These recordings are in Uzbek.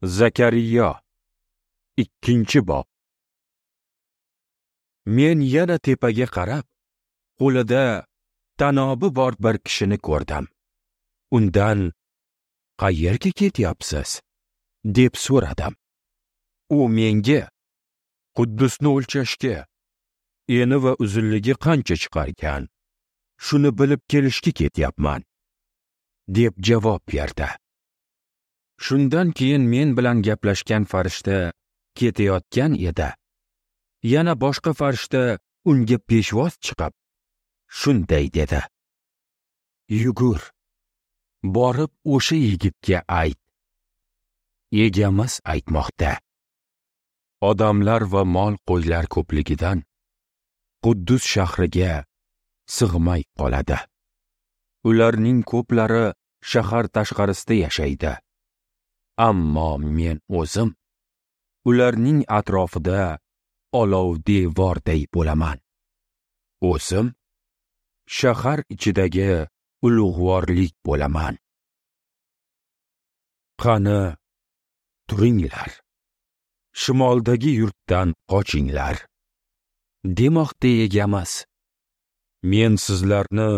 Zakariyo, 2-bob. Men yana tepaga qarab, qo'lida tanobi bor bir kishini ko'rdim. Undan "Qayerga ketyapsiz?" deb so'radim. U menga "Quddusni o'lchashga, eni va uzunligi qancha chiqarkan, shuni bilib kelishga ketyapman" deb javob berdi. Shundan keyin men bilan gaplashgan farishta ketayotgan edi. Yana boshqa farishta unga peshvoz chiqib, shunday dedi: "Yugur, borib o'sha yigitga ayt. Egamiz aytmoqda: Odamlar va mol qo'ylar ko'pligidan Quddus shahriga sig'may qoladi. Ularning ko'plari shahar tashqarisida yashaydi. Ammo men o'zim ularning atrofida olov devorday bo'laman. O'zim shahar ichidagi ulug'vorlik bo'laman. Qani, turinglar, shimoldagi yurtdan qochinglar, demoqda Egamiz. Men sizlarni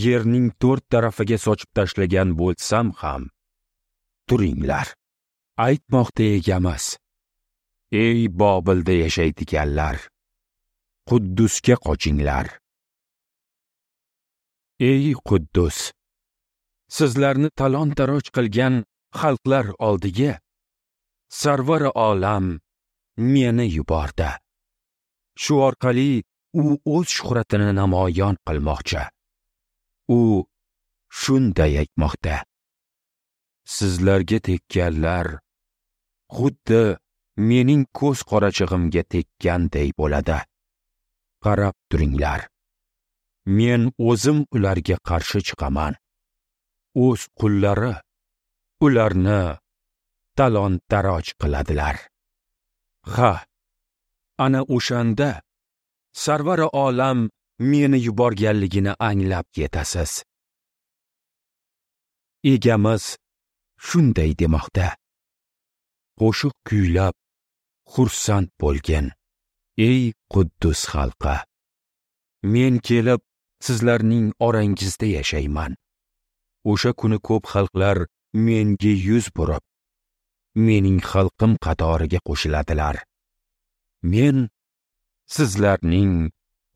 yerning to'rt tarafiga sochib tashlagan bo'lsam ham, turinglar, aytmoqda Egamiz. Ey Bobilda yashaydiganlar, Quddusga qochinglar. Ey Quddus, sizlarni talon-taroj qilgan xalqlar oldiga Sarvar olam meni yubordi. Shu orqali u o'z shuhratini namoyon qilmoqchi. U shunday aytmoqda: Sizlarga tekkanlar xuddi mening ko'z qorachig'imga tekkanday bo'ladi. Qarab turinglar. Men o'zim ularga qarshi chiqaman. O'z qullari ularni talon-taroj qiladilar. Ha, ana o'shanda Sarvar olam meni yuborganligini anglab yetasiz. Egamiz shunday demoqda: Qo'shiq kuylab xursand bo'lgin, ey Quddus xalqi. Men kelib sizlarning orangizda yashayman. O'sha kuni ko'p xalqlar menga yuz burib, mening xalqim qatoriga qo'shiladilar. Men sizlarning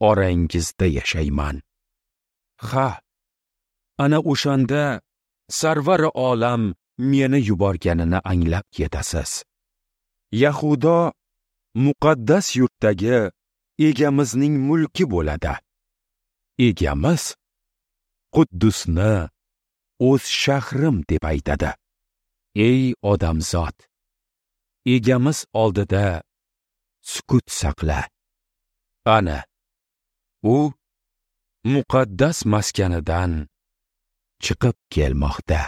orangizda yashayman. Ha, ana o'shanda Sarvar olam meni yuborganini anglab yetasiz. Yahudo muqaddas yurtdagi Egamizning mulki bo'ladi. Egamiz Quddusni o'z shahrim deb aytadi. Ey odamzod, Egamiz oldida sukut saqla. Ana u muqaddas maskanidan chiqib kelmoqda.